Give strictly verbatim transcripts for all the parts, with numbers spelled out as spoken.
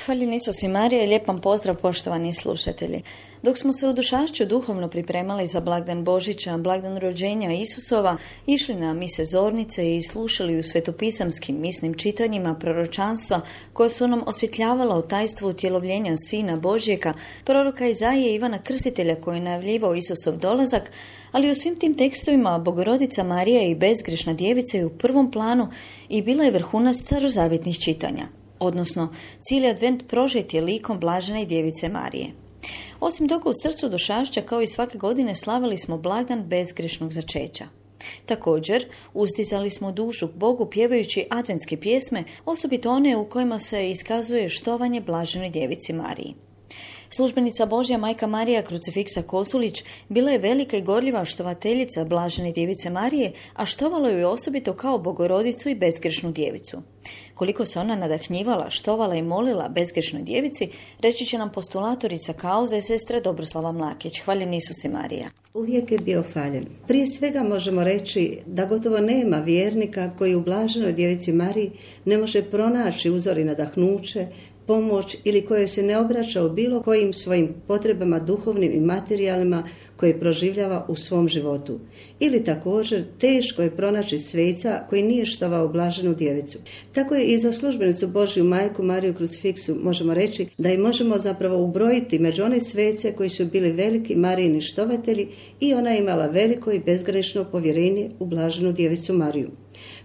Hvaljen Isus i Marija i lijep vam pozdrav poštovani slušatelji. Dok smo se u Dušašću duhovno pripremali za blagdan Božića, blagdan rođenja Isusova, išli na mise zornice i slušali u svetopisamskim misnim čitanjima proročanstva koja su nam osvjetljavala o tajstvu utjelovljenja Sina Božjega, proroka Izaije Ivana Krstitelja koji je najavljivao Isusov dolazak, ali u svim tim tekstovima Bogorodica Marija i bezgrešna djevica je u prvom planu i bila je vrhunac starozavjetnih čitanja. Odnosno, cijeli advent prožet je likom blažene djevice Marije. Osim toga, u srcu Dušašća, kao i svake godine, slavili smo blagdan bezgrešnog začeća. Također, uzdizali smo dušu Bogu pjevajući adventske pjesme, osobito one u kojima se iskazuje štovanje blaženoj djevici Mariji. Službenica Božja majka Marija Krucifiksa Kosulić bila je velika i gorljiva štovateljica blažene djevice Marije, a štovalo ju je osobito kao Bogorodicu i bezgrešnu djevicu. Koliko se ona nadahnjivala, štovala i molila bezgrešnoj djevici, reći će nam postulatorica kauze sestra Dobroslava Mlakić. Hvaljen Isus i Marija. Uvijek je bio hvaljen. Prije svega možemo reći da gotovo nema vjernika koji u blaženoj djevici Mariji ne može pronaći uzor i nadahnuće, pomoć ili koje se ne obraća u bilo kojim svojim potrebama duhovnim i materijalnima koje proživljava u svom životu. Ili također teško je pronaći sveca koji nije štovao blaženu djevicu. Tako je i za službenicu Božju majku Mariju Krucifiksu možemo reći da i možemo zapravo ubrojiti među one svece koji su bili veliki Marijini štovatelji i ona je imala veliko i bezgrešno povjerenje u blaženu djevicu Mariju.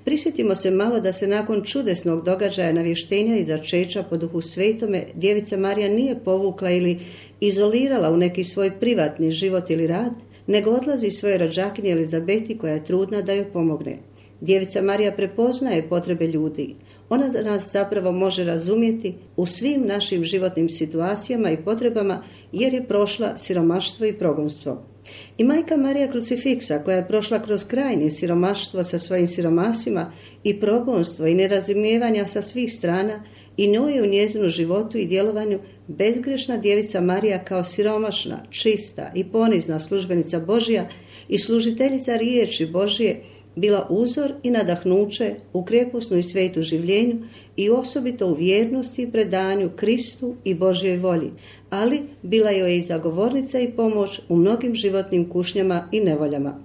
Prisjetimo se malo da se nakon čudesnog događaja navještenja i začeća po Duhu Svetome djevica Marija nije povukla ili izolirala u neki svoj privatni život ili rad, nego odlazi svojoj rođakinji Elizabeti koja je trudna da joj pomogne. Djevica Marija prepoznaje potrebe ljudi. Ona nas zapravo može razumjeti u svim našim životnim situacijama i potrebama jer je prošla siromaštvo i progonstvo. I majka Marija Krucifiksa koja je prošla kroz krajnje siromaštvo sa svojim siromasima i progonstvo i nerazumijevanja sa svih strana i njoj je u njezinu životu i djelovanju bezgrešna djevica Marija kao siromašna, čista i ponizna službenica Božja i služiteljica riječi Božje bila uzor i nadahnuće u krepusnu i svetu življenju i osobito u vjernosti i predanju Kristu i Božjoj volji, ali bila joj i zagovornica i pomoć u mnogim životnim kušnjama i nevoljama.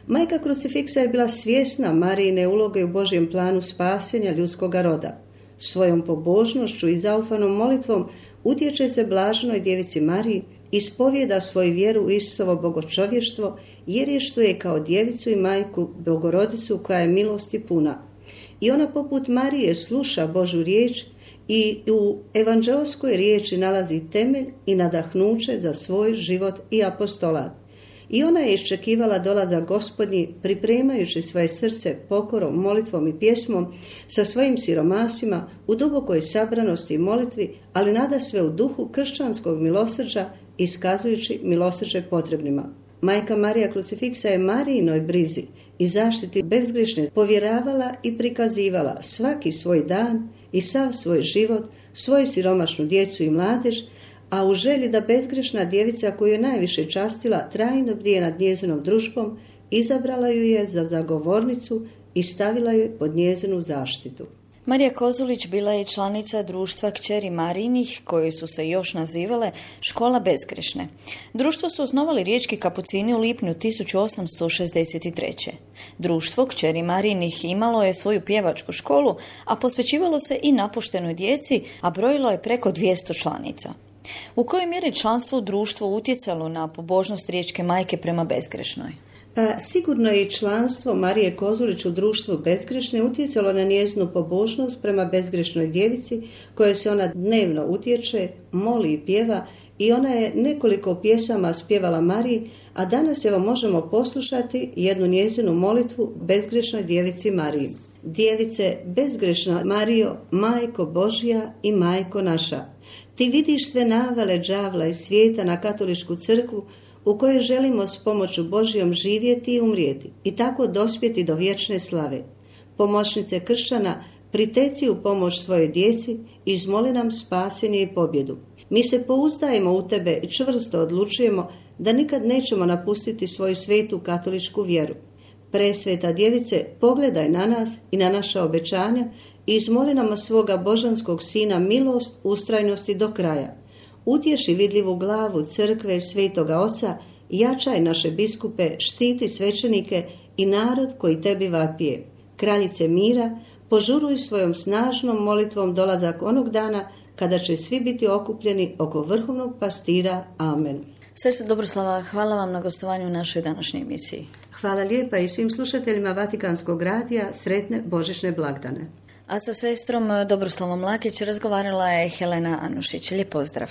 Majka Krucifiksa je bila svjesna Marijine uloge u Božjem planu spasenja ljudskoga roda. Svojom pobožnošću i zaufanom molitvom utječe se blaženoj djevici Mariji, ispovijeda svoju vjeru u Isusovo bogočovještvo jer je što je kao djevicu i majku Bogorodicu koja je milosti puna. I ona poput Marije sluša Božju riječ i u evanđelskoj riječi nalazi temelj i nadahnuće za svoj život i apostolat. I ona je iščekivala dolazak Gospodnji pripremajući svoje srce pokorom, molitvom i pjesmom sa svojim siromasima u dubokoj sabranosti i molitvi, ali nada sve u duhu kršćanskog milosrđa iskazujući milosrđe potrebnima. Majka Marija Krucifiksa je Marijinoj brizi i zaštiti bezgrešne povjeravala i prikazivala svaki svoj dan i sav svoj život, svoju siromašnu djecu i mladež, a u želji da bezgrešna djevica koju je najviše častila trajno bdije nad njezinom družbom, izabrala ju je za zagovornicu i stavila ju pod njezinu zaštitu. Marija Kozulić bila je članica društva kćeri Marijinih, koje su se još nazivale Škola bezgrešne. Društvo su osnovali riječki kapucini u lipnju tisuću osamsto šezdeset treće. Društvo kćeri Marijinih imalo je svoju pjevačku školu, a posvećivalo se i napuštenoj djeci, a brojilo je preko dvjesto članica. U kojoj mjeri članstvo u društvu utjecalo na pobožnost riječke majke prema bezgrešnoj? Pa sigurno je i članstvo Marije Kozulić u društvu bezgrešne utjecalo na njezinu pobožnost prema bezgrešnoj djevici kojoj se ona dnevno utječe, moli i pjeva i ona je nekoliko pjesama spjevala Mariji, a danas evo možemo poslušati jednu njezinu molitvu bezgrešnoj djevici Mariji. Djevice, bezgrešna Marijo, majko Božja i majko naša, ti vidiš sve navale đavla iz svijeta na katoličku crkvu u kojoj želimo s pomoću Božjom živjeti i umrijeti i tako dospjeti do vječne slave. Pomoćnice kršćana, priteci u pomoć svojoj djeci i izmoli nam spasenje i pobjedu. Mi se pouzdajemo u tebe i čvrsto odlučujemo da nikad nećemo napustiti svoju svetu katoličku vjeru. Presveta djevice, pogledaj na nas i na naša obećanja i izmoli nam od svoga božanskog sina milost, ustrajnosti do kraja. Utješi vidljivu glavu crkve Svetoga Oca, jačaj naše biskupe, štiti svećenike i narod koji tebi vapije. Kraljice mira, požuruj svojom snažnom molitvom dolazak onog dana kada će svi biti okupljeni oko vrhovnog pastira. Amen. Sestra Dobroslava, hvala vam na gostovanju u našoj današnjoj emisiji. Hvala lijepa i svim slušateljima Vatikanskog radija, sretne božićne blagdane. A sa sestrom Dobroslavom Lakić razgovarala je Helena Anušić. Lijep pozdrav.